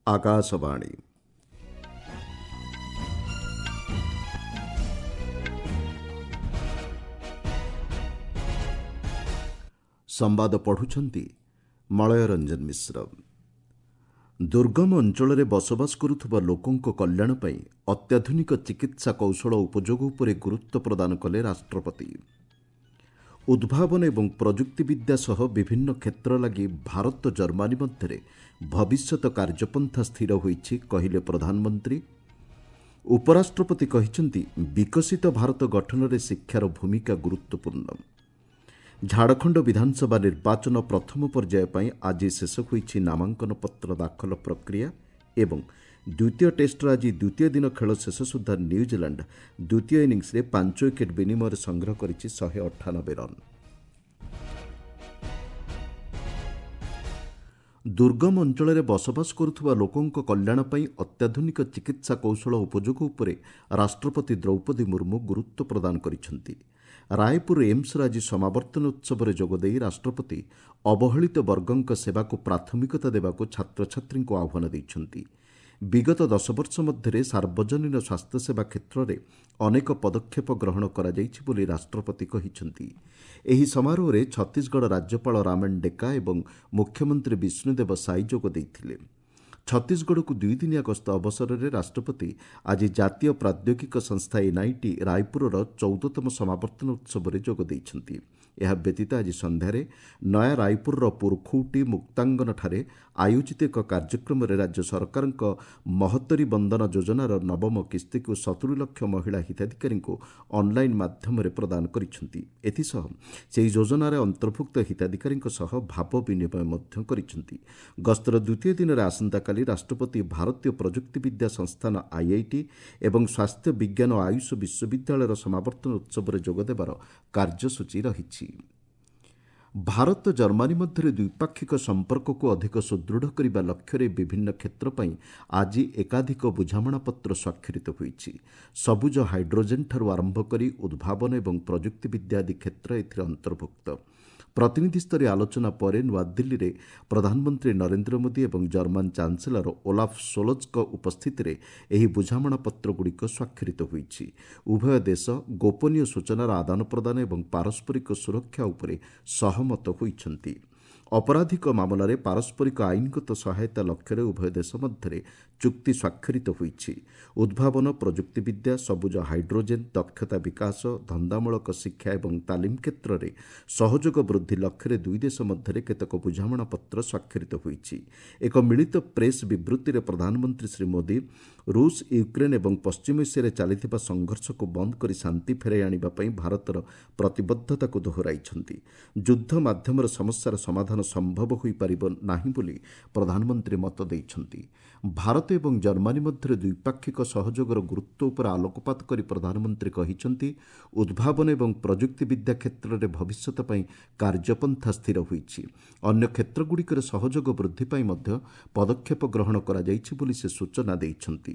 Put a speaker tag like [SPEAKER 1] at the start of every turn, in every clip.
[SPEAKER 1] ଆକାଶବାଣୀ। ସମ୍ବାଦ ପଢ଼ୁଛନ୍ତି ମଳୟ ରଞ୍ଜନ ମିଶ୍ର। ଦୁର୍ଗମ ଅଞ୍ଚଳରେ ବସବାସ କରୁଥିବା ଲୋକଙ୍କ କଲ୍ୟାଣ ପାଇଁ ଅତ୍ୟାଧୁନିକ ଚିକିତ୍ସା କୌଶଳ ଉପଯୋଗ ଉପରେ ଗୁରୁତ୍ୱ ପ୍ରଦାନ କଲେ ରାଷ୍ଟ୍ରପତି। ଉଦ୍ଭାବନ ଏବଂ ପ୍ରଯୁକ୍ତିବିଦ୍ୟା ସହ ବିଭିନ୍ନ କ୍ଷେତ୍ର ଲାଗି ଭାରତ ଜର୍ମାନୀ ମଧ୍ୟରେ ଭବିଷ୍ୟତ କାର୍ଯ୍ୟପନ୍ଥା ସ୍ଥିର ହୋଇଛି, କହିଲେ ପ୍ରଧାନମନ୍ତ୍ରୀ। ଉପରାଷ୍ଟ୍ରପତି କହିଛନ୍ତି, ବିକଶିତ ଭାରତ ଗଠନରେ ଶିକ୍ଷାର ଭୂମିକା ଗୁରୁତ୍ୱପୂର୍ଣ୍ଣ। ଝାଡ଼ଖଣ୍ଡ ବିଧାନସଭା ନିର୍ବାଚନ ପ୍ରଥମ ପର୍ଯ୍ୟାୟ ପାଇଁ ଆଜି ଶେଷ ହୋଇଛି ନାମାଙ୍କନ ପତ୍ର ଦାଖଲ ପ୍ରକ୍ରିୟା ଏବଂ ଦ୍ୱିତୀୟ ଟେଷ୍ଟର ଆଜି ଦ୍ୱିତୀୟ ଦିନ ଖେଳ ଶେଷ ସୁଦ୍ଧା ନ୍ୟୁଜିଲାଣ୍ଡ ଦ୍ୱିତୀୟ ଇନିଂସରେ 5 ୱିକେଟ୍ ବିନିମୟରେ ସଂଗ୍ରହ କରିଛି 198 ରନ୍। ଦୁର୍ଗମ ଅଞ୍ଚଳରେ ବସବାସ କରୁଥିବା ଲୋକଙ୍କ କଲ୍ୟାଣ ପାଇଁ ଅତ୍ୟାଧୁନିକ ଚିକିତ୍ସା କୌଶଳ ଉପଯୋଗ ଉପରେ ରାଷ୍ଟ୍ରପତି ଦ୍ରୌପଦୀ ମୁର୍ମୁ ଗୁରୁତ୍ୱ ପ୍ରଦାନ କରିଛନ୍ତି। ରାୟପୁର ଏମ୍ସର ଆଜି ସମାବର୍ତ୍ତନ ଉତ୍ସବରେ ଯୋଗଦେଇ ରାଷ୍ଟ୍ରପତି ଅବହେଳିତ ବର୍ଗଙ୍କ ସେବାକୁ ପ୍ରାଥମିକତା ଦେବାକୁ ଛାତ୍ରଛାତ୍ରୀଙ୍କୁ ଆହ୍ୱାନ ଦେଇଛନ୍ତି। ବିଗତ 10 ବର୍ଷ ମଧ୍ୟରେ ସାର୍ବଜନୀନ ସ୍ୱାସ୍ଥ୍ୟସେବା କ୍ଷେତ୍ରରେ ଅନେକ ପଦକ୍ଷେପ ଗ୍ରହଣ କରାଯାଇଛି ବୋଲି ରାଷ୍ଟ୍ରପତି କହିଛନ୍ତି। ଏହି ସମାରୋହରେ ଛତିଶଗଡ଼ ରାଜ୍ୟପାଳ ରାମେନ ଡେକା ଏବଂ ମୁଖ୍ୟମନ୍ତ୍ରୀ ବିଷ୍ଣୁଦେବ ସାଇ ଯୋଗ ଦେଇଥିଲେ। ଛତିଶଗଡ଼କୁ ଦୁଇଦିନିଆ ଗସ୍ତ ଅବସରରେ ରାଷ୍ଟ୍ରପତି ଆଜି ଜାତୀୟ ପ୍ରାଦ୍ୟୋଗିକ ସଂସ୍ଥା ଏନ୍ଆଇଟି ରାୟପୁରର 14ତମ ସମାବର୍ତ୍ତନ ଉତ୍ସବରେ ଯୋଗ ଦେଇଛନ୍ତି। ଏହା ବ୍ୟତୀତ ଆଜି ସନ୍ଧ୍ୟାରେ ନୟା ରାୟପୁରର ପୁରଖୌଟି ମୁକ୍ତାଙ୍ଗନଠାରେ ଆୟୋଜିତ ଏକ କାର୍ଯ୍ୟକ୍ରମରେ ରାଜ୍ୟ ସରକାରଙ୍କ ମହତରୀ ବନ୍ଦନ ଯୋଜନାର ନବମ କିସ୍ତିକୁ 70 ଲକ୍ଷ ମହିଳା ହିତାଧିକାରୀଙ୍କୁ ଅନ୍ଲାଇନ୍ ମାଧ୍ୟମରେ ପ୍ରଦାନ କରିଛନ୍ତି। ଏଥିସହ ସେହି ଯୋଜନାରେ ଅନ୍ତର୍ଭୁକ୍ତ ହିତାଧିକାରୀଙ୍କ ସହ ଭାବ ବିନିମୟ ମଧ୍ୟ କରିଛନ୍ତି। ଗସ୍ତର ଦ୍ୱିତୀୟ ଦିନରେ ଆସନ୍ତାକାଲି ରାଷ୍ଟ୍ରପତି ଭାରତୀୟ ପ୍ରଯୁକ୍ତିବିଦ୍ୟା ସଂସ୍ଥାନ ଆଇଆଇଟି ଏବଂ ସ୍ୱାସ୍ଥ୍ୟ ବିଜ୍ଞାନ ଓ ଆୟୁଷ ବିଶ୍ୱବିଦ୍ୟାଳୟର ସମାବର୍ତ୍ତନ ଉତ୍ସବରେ ଯୋଗଦେବାର କାର୍ଯ୍ୟସୂଚୀ ରହିଛି। ଭାରତ ଜର୍ମାନୀ ମଧ୍ୟରେ ଦ୍ୱିପାକ୍ଷିକ ସମ୍ପର୍କକୁ ଅଧିକ ସୁଦୃଢ଼ କରିବା ଲକ୍ଷ୍ୟରେ ବିଭିନ୍ନ କ୍ଷେତ୍ର ପାଇଁ ଆଜି ଏକାଧିକ ବୁଝାମଣାପତ୍ର ସ୍ୱାକ୍ଷରିତ ହୋଇଛି। ସବୁଜ ହାଇଡ୍ରୋଜେନ୍ଠାରୁ ଆରମ୍ଭ କରି ଉଦ୍ଭାବନ ଏବଂ ପ୍ରଯୁକ୍ତିବିଦ୍ୟା ଆଦି କ୍ଷେତ୍ର ଏଥିରେ ଅନ୍ତର୍ଭୁକ୍ତ। ପ୍ରତିନିଧିସ୍ତରୀୟ ଆଲୋଚନା ପରେ ନୂଆଦିଲ୍ଲୀରେ ପ୍ରଧାନମନ୍ତ୍ରୀ ନରେନ୍ଦ୍ର ମୋଦି ଏବଂ ଜର୍ମାନ ଚାନ୍ସେଲର ଓଲାଫ ସୋଲଜଙ୍କ ଉପସ୍ଥିତିରେ ଏହି ବୁଝାମଣାପତ୍ରଗୁଡ଼ିକ ସ୍ୱାକ୍ଷରିତ ହୋଇଛି। ଉଭୟ ଦେଶ ଗୋପନୀୟ ସୂଚନାର ଆଦାନପ୍ରଦାନ ଏବଂ ପାରସ୍ପରିକ ସୁରକ୍ଷା ଉପରେ ସହମତ ହୋଇଛନ୍ତି। ଅପରାଧିକ ମାମଲାରେ ପାରସ୍ପରିକ ଆଇନଗତ ସହାୟତା ଲକ୍ଷ୍ୟରେ ଉଭୟ ଦେଶ ମଧ୍ୟରେ ଚୁକ୍ତି ସ୍ୱାକ୍ଷରିତ ହୋଇଛି। ଉଦ୍ଭାବନ, ପ୍ରଯୁକ୍ତିବିଦ୍ୟା, ସବୁଜ ହାଇଡ୍ରୋଜେନ୍, ଦକ୍ଷତା ବିକାଶ, ଧନ୍ଦାମୂଳକ ଶିକ୍ଷା ଏବଂ ତାଲିମ କ୍ଷେତ୍ରରେ ସହଯୋଗ ବୃଦ୍ଧି ଲକ୍ଷ୍ୟରେ ଦୁଇ ଦେଶ ମଧ୍ୟରେ କେତେକ ବୁଝାମଣାପତ୍ର ସ୍ୱାକ୍ଷରିତ ହୋଇଛି। ଏକ ମିଳିତ ପ୍ରେସ୍ ବିବୃତ୍ତିରେ ପ୍ରଧାନମନ୍ତ୍ରୀ ଶ୍ରୀ ମୋଦି ରୁଷ, ୟୁକ୍ରେନ୍ ଏବଂ ପଶ୍ଚିମ ଏସିଆରେ ଚାଲିଥିବା ସଂଘର୍ଷକୁ ବନ୍ଦ କରି ଶାନ୍ତି ଫେରାଇ ଆଣିବା ପାଇଁ ଭାରତର ପ୍ରତିବଦ୍ଧତାକୁ ଦୋହରାଇଛନ୍ତି। ଯୁଦ୍ଧ ମାଧ୍ୟମରେ ସମସ୍ୟାର ସମାଧାନ ସମ୍ଭବ ହୋଇପାରିବ ନାହିଁ ବୋଲି ପ୍ରଧାନମନ୍ତ୍ରୀ ମତ ଦେଇଛନ୍ତି। ଭାରତ ଏବଂ ଜର୍ମାନୀ ମଧ୍ୟରେ ଦ୍ୱିପାକ୍ଷିକ ସହଯୋଗର ଗୁରୁତ୍ୱ ଉପରେ ଆଲୋକପାତ କରି ପ୍ରଧାନମନ୍ତ୍ରୀ କହିଛନ୍ତି, ଉଦ୍ଭାବନ ଏବଂ ପ୍ରଯୁକ୍ତିବିଦ୍ୟା କ୍ଷେତ୍ରରେ ଭବିଷ୍ୟତ ପାଇଁ କାର୍ଯ୍ୟପନ୍ଥା ସ୍ଥିର ହୋଇଛି। ଅନ୍ୟ କ୍ଷେତ୍ରଗୁଡ଼ିକରେ ସହଯୋଗ ବୃଦ୍ଧି ପାଇଁ ମଧ୍ୟ ପଦକ୍ଷେପ ଗ୍ରହଣ କରାଯାଇଛି ବୋଲି ସେ ସୂଚନା ଦେଇଛନ୍ତି।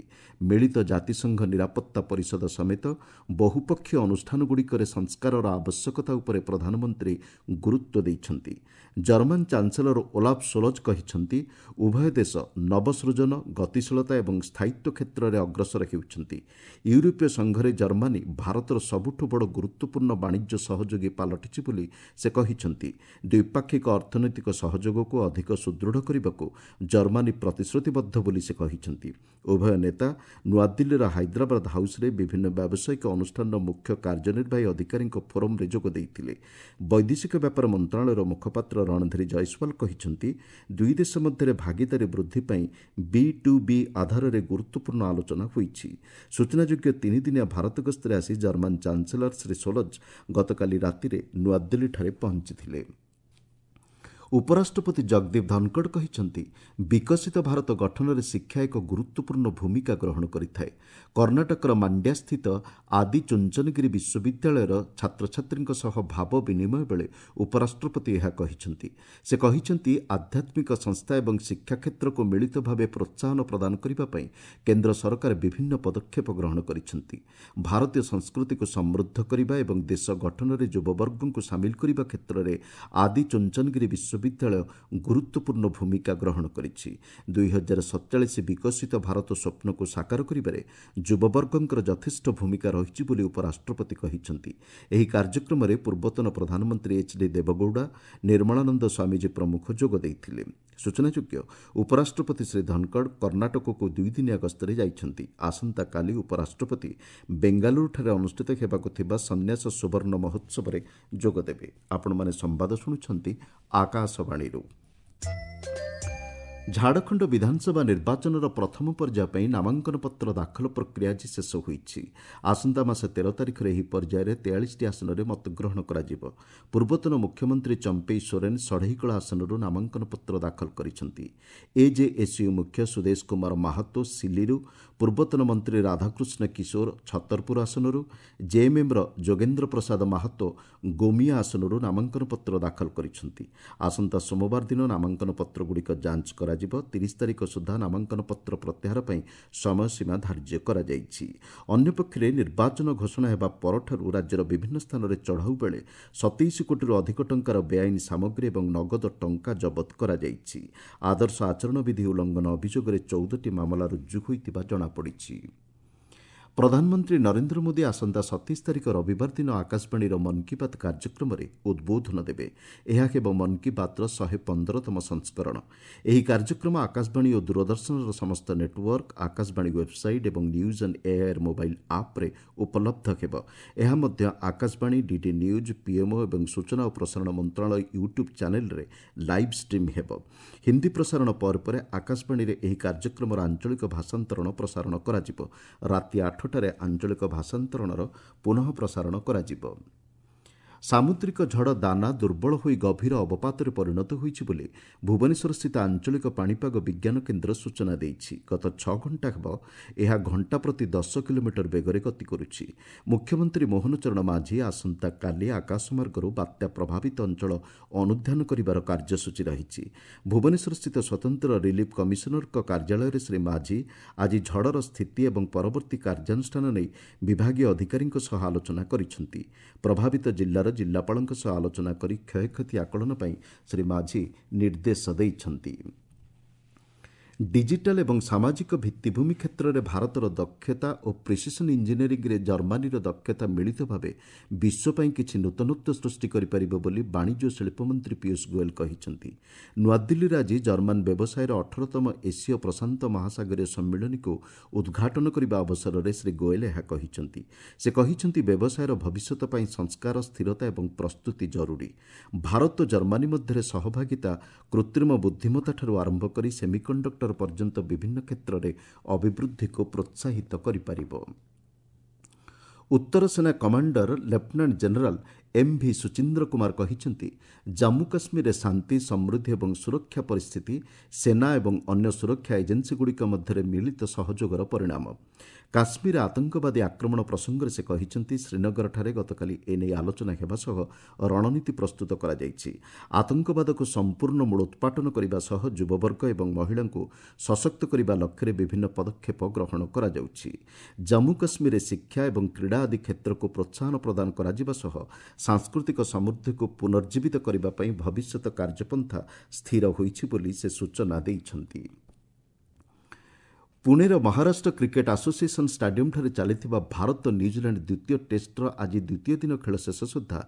[SPEAKER 1] ମିଳିତ ଜାତିସଂଘ ନିରାପତ୍ତା ପରିଷଦ ସମେତ ବହୁପକ୍ଷୀୟ ଅନୁଷ୍ଠାନଗୁଡ଼ିକରେ ସଂସ୍କାରର ଆବଶ୍ୟକତା ଉପରେ ପ୍ରଧାନମନ୍ତ୍ରୀ ଗୁରୁତ୍ୱ ଦେଇଛନ୍ତି। ଜର୍ମାନ ଚାନ୍ସେଲର ଓଲାଫ ସୋଲଜ କହିଛନ୍ତି, ଉଭୟ ଦେଶ ନବସୃଜନ, ଗତିଶୀଳତା ଏବଂ ସ୍ଥାୟିତ୍ୱ କ୍ଷେତ୍ରରେ ଅଗ୍ରସର ହେଉଛନ୍ତି। ୟୁରୋପୀୟ ସଂଘରେ ଜର୍ମାନୀ ଭାରତର ସବୁଠୁ ବଡ଼ ଗୁରୁତ୍ୱପୂର୍ଣ୍ଣ ବାଣିଜ୍ୟ ସହଯୋଗୀ ପାଲଟିଛି ବୋଲି ସେ କହିଛନ୍ତି। ଦ୍ୱିପାକ୍ଷିକ ଅର୍ଥନୈତିକ ସହଯୋଗକୁ ଅଧିକ ସୁଦୃଢ଼ କରିବାକୁ ଜର୍ମାନୀ ପ୍ରତିଶ୍ରୁତିବଦ୍ଧ ବୋଲି ସେ କହିଛନ୍ତି। ଉଭୟ ନେତା ନୂଆଦିଲ୍ଲୀର ହାଇଦ୍ରାବାଦ ହାଉସ୍ରେ ବିଭିନ୍ନ ବ୍ୟାବସାୟିକ ଅନୁଷ୍ଠାନର ମୁଖ୍ୟ କାର୍ଯ୍ୟନିର୍ବାହୀ ଅଧିକାରୀଙ୍କ ଫୋରମ୍ରେ ଯୋଗ ଦେଇଥିଲେ। ବୈଦେଶିକ ବ୍ୟାପାର ମନ୍ତ୍ରଣାଳୟର ମୁଖପାତ୍ର ରଣଧୀର ଜୟସ୍ୱାଲ କହିଛନ୍ତି, ଦୁଇ ଦେଶ ମଧ୍ୟରେ ଭାଗିଦାରୀ ବୃଦ୍ଧି ପାଇଁ ବି ଟୁ ବି ଆଧାରରେ ଗୁରୁତ୍ୱପୂର୍ଣ୍ଣ ଆଲୋଚନା ହୋଇଛି। ସୂଚନାଯୋଗ୍ୟ, ତିନିଦିନିଆ ଭାରତ ଗସ୍ତରେ ଆସି ଜର୍ମାନ ଚାନ୍ସେଲର ଶ୍ରୀ ସୋଲଜ ଗତକାଲି ରାତିରେ ନୂଆଦିଲ୍ଲୀଠାରେ ପହଞ୍ଚିଥିଲେ। ଉପରାଷ୍ଟ୍ରପତି ଜଗଦୀପ ଧନଖଡ଼ କହିଛନ୍ତି, ବିକଶିତ ଭାରତ ଗଠନରେ ଶିକ୍ଷା ଏକ ଗୁରୁତ୍ୱପୂର୍ଣ୍ଣ ଭୂମିକା ଗ୍ରହଣ କରିଥାଏ। କର୍ଣ୍ଣାଟକର ମାଣ୍ଡ୍ୟାସ୍ଥିତ ଆଦି ଚୁଞ୍ଚନଗିରି ବିଶ୍ୱବିଦ୍ୟାଳୟର ଛାତ୍ରଛାତ୍ରୀଙ୍କ ସହ ଭାବ ବିନିମୟ ବେଳେ ଉପରାଷ୍ଟ୍ରପତି ଏହା କହିଛନ୍ତି। ସେ କହିଛନ୍ତି, ଆଧ୍ୟାତ୍ମିକ ସଂସ୍ଥା ଏବଂ ଶିକ୍ଷା କ୍ଷେତ୍ରକୁ ମିଳିତ ଭାବେ ପ୍ରୋତ୍ସାହନ ପ୍ରଦାନ କରିବା ପାଇଁ କେନ୍ଦ୍ର ସରକାର ବିଭିନ୍ନ ପଦକ୍ଷେପ ଗ୍ରହଣ କରିଛନ୍ତି। ଭାରତୀୟ ସଂସ୍କୃତିକୁ ସମୃଦ୍ଧ କରିବା ଏବଂ ଦେଶ ଗଠନରେ ଯୁବବର୍ଗଙ୍କୁ ସାମିଲ କରିବା କ୍ଷେତ୍ରରେ ଆଦି ଚୁଞ୍ଚନଗିରି ବିଶ୍ୱବିଦ୍ୟାଳୟ ବିଶ୍ୱବିଦ୍ୟାଳୟ ଗୁରୁତ୍ୱପୂର୍ଣ୍ଣ ଭୂମିକା ଗ୍ରହଣ କରିଛି। 2047 ବିକଶିତ ଭାରତ ସ୍ୱପ୍ନକୁ ସାକାର କରିବାରେ ଯୁବବର୍ଗଙ୍କର ଯଥେଷ୍ଟ ଭୂମିକା ରହିଛି ବୋଲି ଉପରାଷ୍ଟ୍ରପତି କହିଛନ୍ତି। ଏହି କାର୍ଯ୍ୟକ୍ରମରେ ପୂର୍ବତନ ପ୍ରଧାନମନ୍ତ୍ରୀ ଏଚ୍ ଡି ଦେବଗୌଡ଼ା, ନିର୍ମଳାନନ୍ଦ ସ୍ୱାମୀଜୀ ପ୍ରମୁଖ ଯୋଗ ଦେଇଥିଲେ। ସୂଚନାଯୋଗ୍ୟ, ଉପରାଷ୍ଟ୍ରପତି ଶ୍ରୀ ଧନଖଡ଼ କର୍ଣ୍ଣାଟକକୁ ଦୁଇଦିନିଆ ଗସ୍ତରେ ଯାଇଛନ୍ତି। ଆସନ୍ତାକାଲି ଉପରାଷ୍ଟ୍ରପତି ବେଙ୍ଗାଲୁରୁଠାରେ ଅନୁଷ୍ଠିତ ହେବାକୁ ଥିବା ସନ୍ନ୍ୟାସ ସୁବର୍ଣ୍ଣ ମହୋତ୍ସବରେ ଯୋଗଦେବେ। ଆପଣମାନେ ସମ୍ବାଦ ଶୁଣୁଛନ୍ତି ଆକାଶବାଣୀରୁ। ଝାଡ଼ଖଣ୍ଡ ବିଧାନସଭା ନିର୍ବାଚନର ପ୍ରଥମ ପର୍ଯ୍ୟାୟ ପାଇଁ ନାମାଙ୍କନପତ୍ର ଦାଖଲ ପ୍ରକ୍ରିୟା ଆଜି ଶେଷ ହୋଇଛି। ଆସନ୍ତା ମାସ 13 ତାରିଖରେ ଏହି ପର୍ଯ୍ୟାୟରେ 43ଟି ଆସନରେ ମତଗ୍ରହଣ କରାଯିବ। ପୂର୍ବତନ ମୁଖ୍ୟମନ୍ତ୍ରୀ ଚମ୍ପେଇ ସୋରେନ୍ ଷଢ଼େଇକଳା ଆସନରୁ ନାମାଙ୍କନପତ୍ର ଦାଖଲ କରିଛନ୍ତି। ଏଜେଏସ୍ୟୁ ମୁଖ୍ୟ ସୁଦେଶ କୁମାର ମାହାତୋ ସିଲିରୁ, ପୂର୍ବତନ ମନ୍ତ୍ରୀ ରାଧାକୃଷ୍ଣ କିଶୋର ଛତରପୁର ଆସନରୁ, ଜେଏମ୍ଏମ୍ର ଯୋଗେନ୍ଦ୍ର ପ୍ରସାଦ ମାହାତୋ ଗୋମିଆ ଆସନରୁ ନାମାଙ୍କନପତ୍ର ଦାଖଲ କରିଛନ୍ତି। ଆସନ୍ତା ସୋମବାର ଦିନ ନାମାଙ୍କନପତ୍ରଗୁଡ଼ିକ ଯାଞ୍ଚ କରାଯିବ। 30 ତାରିଖ ସୁଦ୍ଧା ନାମାଙ୍କନପତ୍ର ପ୍ରତ୍ୟାହାର ପାଇଁ ସମୟସୀମା ଧାର୍ଯ୍ୟ କରାଯାଇଛି। ଅନ୍ୟପକ୍ଷରେ ନିର୍ବାଚନ ଘୋଷଣା ହେବା ପରଠାରୁ ରାଜ୍ୟର ବିଭିନ୍ନ ସ୍ଥାନରେ ଚଢ଼ାଉ ବେଳେ 27 କୋଟିରୁ ଅଧିକ ଟଙ୍କାର ବେଆଇନ ସାମଗ୍ରୀ ଏବଂ ନଗଦ ଟଙ୍କା ଜବତ କରାଯାଇଛି। ଆଦର୍ଶ ଆଚରଣ ବିଧି ଉଲ୍ଲଂଘନ ଅଭିଯୋଗରେ 14ଟି ମାମଲା ରୁଜୁ ହୋଇଥିବା ଜଣାପଡ଼ିଛି। ପ୍ରଧାନମନ୍ତ୍ରୀ ନରେନ୍ଦ୍ର ମୋଦି ଆସନ୍ତା 27 ତାରିଖ ରବିବାର ଦିନ ଆକାଶବାଣୀର ମନ୍ କି ବାତ୍ କାର୍ଯ୍ୟକ୍ରମରେ ଉଦ୍ବୋଧନ ଦେବେ। ଏହା ହେବ ମନ୍ କି ବାତ୍ର 115ତମ ସଂସ୍କରଣ। ଏହି କାର୍ଯ୍ୟକ୍ରମ ଆକାଶବାଣୀ ଓ ଦୂରଦର୍ଶନର ସମସ୍ତ ନେଟୱାର୍କ, ଆକାଶବାଣୀ ୱେବ୍ସାଇଟ୍ ଏବଂ ନ୍ୟୁଜ୍ ଆଣ୍ଡ ଏଆଇଆର୍ ମୋବାଇଲ୍ ଆପ୍ରେ ଉପଲବ୍ଧ ହେବ। ଏହା ମଧ୍ୟ ଆକାଶବାଣୀ, ଡିଡି ନ୍ୟୁଜ୍, ପିଏମ୍ଓ ଏବଂ ସୂଚନା ଓ ପ୍ରସାରଣ ମନ୍ତ୍ରଣାଳୟ ୟୁଟ୍ୟୁବ୍ ଚ୍ୟାନେଲ୍ରେ ଲାଇଭ୍ ଷ୍ଟ୍ରିମ୍ ହେବ। ହିନ୍ଦୀ ପ୍ରସାରଣ ପରେ ପରେ ଆକାଶବାଣୀରେ ଏହି କାର୍ଯ୍ୟକ୍ରମର ଆଞ୍ଚଳିକ ଭାଷାନ୍ତରଣ ପ୍ରସାରଣ କରାଯିବ। ରାତି 8ଟାରେ ଆଞ୍ଚଳିକ ଭାଷାନ୍ତରଣର ପୁନଃ ପ୍ରସାରଣ କରାଯିବ। ସାମୁଦ୍ରିକ ଝଡ଼ ଦାନା ଦୁର୍ବଳ ହୋଇ ଗଭୀର ଅବପାତରେ ପରିଣତ ହୋଇଛି ବୋଲି ଭୁବନେଶ୍ୱରସ୍ଥିତ ଆଞ୍ଚଳିକ ପାଣିପାଗ ବିଜ୍ଞାନ କେନ୍ଦ୍ର ସୂଚନା ଦେଇଛି। ଗତ 6 ଘଣ୍ଟା ହେବ ଏହା ଘଣ୍ଟା ପ୍ରତି 10 କିଲୋମିଟର ବେଗରେ ଗତି କରୁଛି। ମୁଖ୍ୟମନ୍ତ୍ରୀ ମୋହନ ଚରଣ ମାଝୀ ଆସନ୍ତାକାଲି ଆକାଶମାର୍ଗରୁ ବାତ୍ୟା ପ୍ରଭାବିତ ଅଞ୍ଚଳ ଅନୁଧ୍ୟାନ କରିବାର କାର୍ଯ୍ୟସୂଚୀ ରହିଛି। ଭୁବନେଶ୍ୱରସ୍ଥିତ ସ୍ୱତନ୍ତ୍ର ରିଲିଫ୍ କମିଶନରଙ୍କ କାର୍ଯ୍ୟାଳୟରେ ଶ୍ରୀ ମାଝୀ ଆଜି ଝଡ଼ର ସ୍ଥିତି ଏବଂ ପରବର୍ତ୍ତୀ କାର୍ଯ୍ୟାନୁଷ୍ଠାନ ନେଇ ବିଭାଗୀୟ ଅଧିକାରୀଙ୍କ ସହ ଆଲୋଚନା କରିଛନ୍ତି। ପ୍ରଭାବିତ ଜିଲ୍ଲାର ଜିଲ୍ଲାପାଳଙ୍କ ସହ ଆଲୋଚନା କରି କ୍ଷୟକ୍ଷତି ଆକଳନ ପାଇଁ ଶ୍ରୀ ମାଝୀ ନିର୍ଦ୍ଦେଶ ଦେଇଛନ୍ତି। ଡିଜିଟାଲ ଏବଂ ସାମାଜିକ ଭିତ୍ତିଭୂମି କ୍ଷେତ୍ରରେ ଭାରତର ଦକ୍ଷତା ଓ ପ୍ରିସିସନ୍ ଇଞ୍ଜିନିୟରିଂରେ ଜର୍ମାନୀର ଦକ୍ଷତା ମିଳିତ ଭାବେ ବିଶ୍ୱ ପାଇଁ କିଛି ନୂତନତ୍ୱ ସୃଷ୍ଟି କରିପାରିବ ବୋଲି ବାଣିଜ୍ୟ ଓ ଶିଳ୍ପମନ୍ତ୍ରୀ ପୀୟୁଷ ଗୋଏଲ କହିଛନ୍ତି। ନୂଆଦିଲ୍ଲୀରେ ଆଜି ଜର୍ମାନ ବ୍ୟବସାୟର 18ତମ ଏସୀୟ ପ୍ରଶାନ୍ତ ମହାସାଗରୀୟ ସମ୍ମିଳନୀକୁ ଉଦ୍ଘାଟନ କରିବା ଅବସରରେ ଶ୍ରୀ ଗୋଏଲ ଏହା କହିଛନ୍ତି। ସେ କହିଛନ୍ତି, ବ୍ୟବସାୟର ଭବିଷ୍ୟତ ପାଇଁ ସଂସ୍କାର, ସ୍ଥିରତା ଏବଂ ପ୍ରସ୍ତୁତି ଜରୁରୀ। ଭାରତ ଜର୍ମାନୀ ମଧ୍ୟରେ ସହଭାଗିତା କୃତ୍ରିମ ବୁଦ୍ଧିମତ୍ତାଠାରୁ ଆରମ୍ଭ କରି ସେମିକଣ୍ଡକ୍ଟର ପର୍ଯ୍ୟନ୍ତ ବିଭିନ୍ନ କ୍ଷେତ୍ରରେ ଅଭିବୃଦ୍ଧିକୁ ପ୍ରୋତ୍ସାହିତ କରିପାରିବ। ଉତ୍ତର ସେନା commander lieutenant general M V Suchindra Kumar କହିଛନ୍ତି, ଜାମ୍ମୁ କାଶ୍ମୀରରେ ଶାନ୍ତି, ସମୃଦ୍ଧି ଏବଂ ସୁରକ୍ଷା ପରିସ୍ଥିତି ସେନା ଏବଂ ଅନ୍ୟ ସୁରକ୍ଷା ଏଜେନ୍ସିଗୁଡ଼ିକ ମଧ୍ୟରେ ମିଳିତ ସହଯୋଗର ପରିଣାମ। କାଶ୍ମୀର ଆତଙ୍କବାଦୀ ଆକ୍ରମଣ ପ୍ରସଙ୍ଗରେ ସେ କହିଛନ୍ତି, ଶ୍ରୀନଗରଠାରେ ଗତକାଲି ଏନେଇ ଆଲୋଚନା ହେବା ସହ ରଣନୀତି ପ୍ରସ୍ତୁତ କରାଯାଇଛି। ଆତଙ୍କବାଦକୁ ସମ୍ପୂର୍ଣ୍ଣ ମୂଳୋତ୍ପାଟନ କରିବା ସହ ଯୁବବର୍ଗ ଏବଂ ମହିଳାଙ୍କୁ ସଶକ୍ତ କରିବା ଲକ୍ଷ୍ୟରେ ବିଭିନ୍ନ ପଦକ୍ଷେପ ଗ୍ରହଣ କରାଯାଉଛି। ଜାମ୍ମୁ କାଶ୍ମୀରରେ ଶିକ୍ଷା ଏବଂ କ୍ରୀଡ଼ା ଆଦି କ୍ଷେତ୍ରକୁ ପ୍ରୋତ୍ସାହନ ପ୍ରଦାନ କରାଯିବା ସହ ସାଂସ୍କୃତିକ ସମୃଦ୍ଧିକୁ ପୁନର୍ଜୀବିତ କରିବା ପାଇଁ ଭବିଷ୍ୟତ କାର୍ଯ୍ୟପନ୍ଥା ସ୍ଥିର ହୋଇଛି ବୋଲି ସେ ସୂଚନା ଦେଇଛନ୍ତି। ପୁଣେର ମହାରାଷ୍ଟ୍ର କ୍ରିକେଟ୍ ଆସୋସିଏସନ୍ ଷ୍ଟାଡିୟମ୍ଠାରେ ଚାଲିଥିବା ଭାରତ ନ୍ୟୁଜିଲାଣ୍ଡ ଦ୍ୱିତୀୟ ଟେଷ୍ଟର ଆଜି ଦ୍ୱିତୀୟ ଦିନ ଖେଳ ଶେଷ ସୁଦ୍ଧା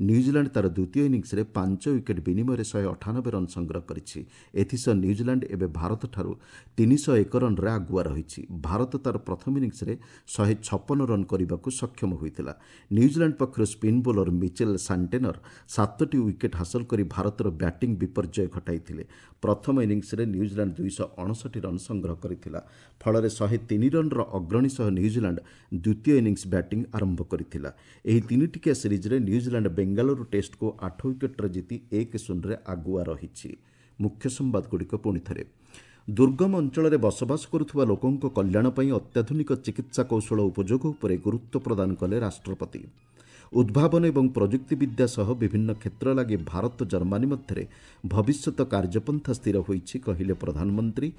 [SPEAKER 1] ନ୍ୟୁଜିଲାଣ୍ଡ ତା'ର ଦ୍ୱିତୀୟ ଇନିଂସରେ 5 ୱିକେଟ୍ ବିନିମୟରେ 198 ରନ୍ ସଂଗ୍ରହ କରିଛି। ଏଥିସହ ନ୍ୟୁଜିଲାଣ୍ଡ ଏବେ ଭାରତଠାରୁ 301 ରନ୍ରେ ଆଗୁଆ ରହିଛି। ଭାରତ ତା'ର ପ୍ରଥମ ଇନିଂସରେ 156 ରନ୍ କରିବାକୁ ସକ୍ଷମ ହୋଇଥିଲା। ନ୍ୟୁଜିଲାଣ୍ଡ ପକ୍ଷରୁ ସ୍ପିନ୍ ବୋଲର ମିଚେଲ୍ ସାଣ୍ଟେନର 7ଟି ୱିକେଟ୍ ହାସଲ କରି ଭାରତର ବ୍ୟାଟିଂ ବିପର୍ଯ୍ୟୟ ଘଟାଇଥିଲେ। ପ୍ରଥମ ଇନିଂସରେ ନ୍ୟୁଜିଲାଣ୍ଡ 259 ରନ୍ ସଂଗ୍ରହ କରିଥିଲା। ଫଳରେ 103 ରନ୍ର ଅଗ୍ରଣୀ ସହ ନ୍ୟୁଜିଲାଣ୍ଡ ଦ୍ୱିତୀୟ ଇନିଂସ ବ୍ୟାଟିଂ ଆରମ୍ଭ କରିଥିଲା। ଏହି ତିନିଟିକିଆ ସିରିଜ୍ରେ ନ୍ୟୁଜିଲାଣ୍ଡ ବେଙ୍ଗାଲୁରୁ ଟେଷ୍ଟକୁ 8 ୱିକେଟ୍ରେ ଜିତି 1-0ରେ ଆଗୁଆ ରହିଛି। ମୁଖ୍ୟ ସମ୍ବାଦଗୁଡ଼ିକ ପୁଣି ଥରେ। ଦୁର୍ଗମ ଅଞ୍ଚଳରେ ବସବାସ କରୁଥିବା ଲୋକଙ୍କ କଲ୍ୟାଣ ପାଇଁ ଅତ୍ୟାଧୁନିକ ଚିକିତ୍ସା କୌଶଳ ଉପଯୋଗ ଉପରେ ଗୁରୁତ୍ୱ ପ୍ରଦାନ କଲେ ରାଷ୍ଟ୍ରପତି। ଉଦ୍ଭାବନ ଏବଂ ପ୍ରଯୁକ୍ତିବିଦ୍ୟା ସହ ବିଭିନ୍ନ କ୍ଷେତ୍ର ଲାଗି ଭାରତ ଜର୍ମାନୀ ମଧ୍ୟରେ ଭବିଷ୍ୟତ କାର୍ଯ୍ୟପନ୍ଥା ସ୍ଥିର ହୋଇଛି, କହିଲେ ପ୍ରଧାନମନ୍ତ୍ରୀ।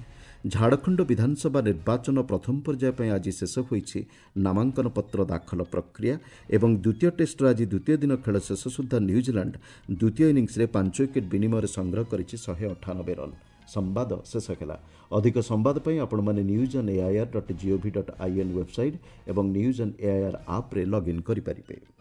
[SPEAKER 1] ଝାଡ଼ଖଣ୍ଡ ବିଧାନସଭା ନିର୍ବାଚନ ପ୍ରଥମ ପର୍ଯ୍ୟାୟ ପାଇଁ ଆଜି ଶେଷ ହୋଇଛି ନାମାଙ୍କନ ପତ୍ର ଦାଖଲ ପ୍ରକ୍ରିୟା। ଏବଂ ଦ୍ୱିତୀୟ ଟେଷ୍ଟର ଆଜି ଦ୍ୱିତୀୟ ଦିନ ଖେଳ ଶେଷ ସୁଦ୍ଧା ନ୍ୟୁଜିଲାଣ୍ଡ ଦ୍ୱିତୀୟ ଇନିଂସରେ 5 ୱିକେଟ୍ ବିନିମୟରେ ସଂଗ୍ରହ କରିଛି 198 ରନ୍। ସମ୍ବାଦ ଶେଷ ହେଲା। ଅଧିକ ସମ୍ବାଦ ପାଇଁ ଆପଣମାନେ news on AIR dot GOV dot IN website ଏବଂ ନ୍ୟୁଜ୍ ଅନ୍ ଏଆଇଆର୍ ଆପ୍ରେ ଲଗ୍ଇନ୍ କରିପାରିବେ।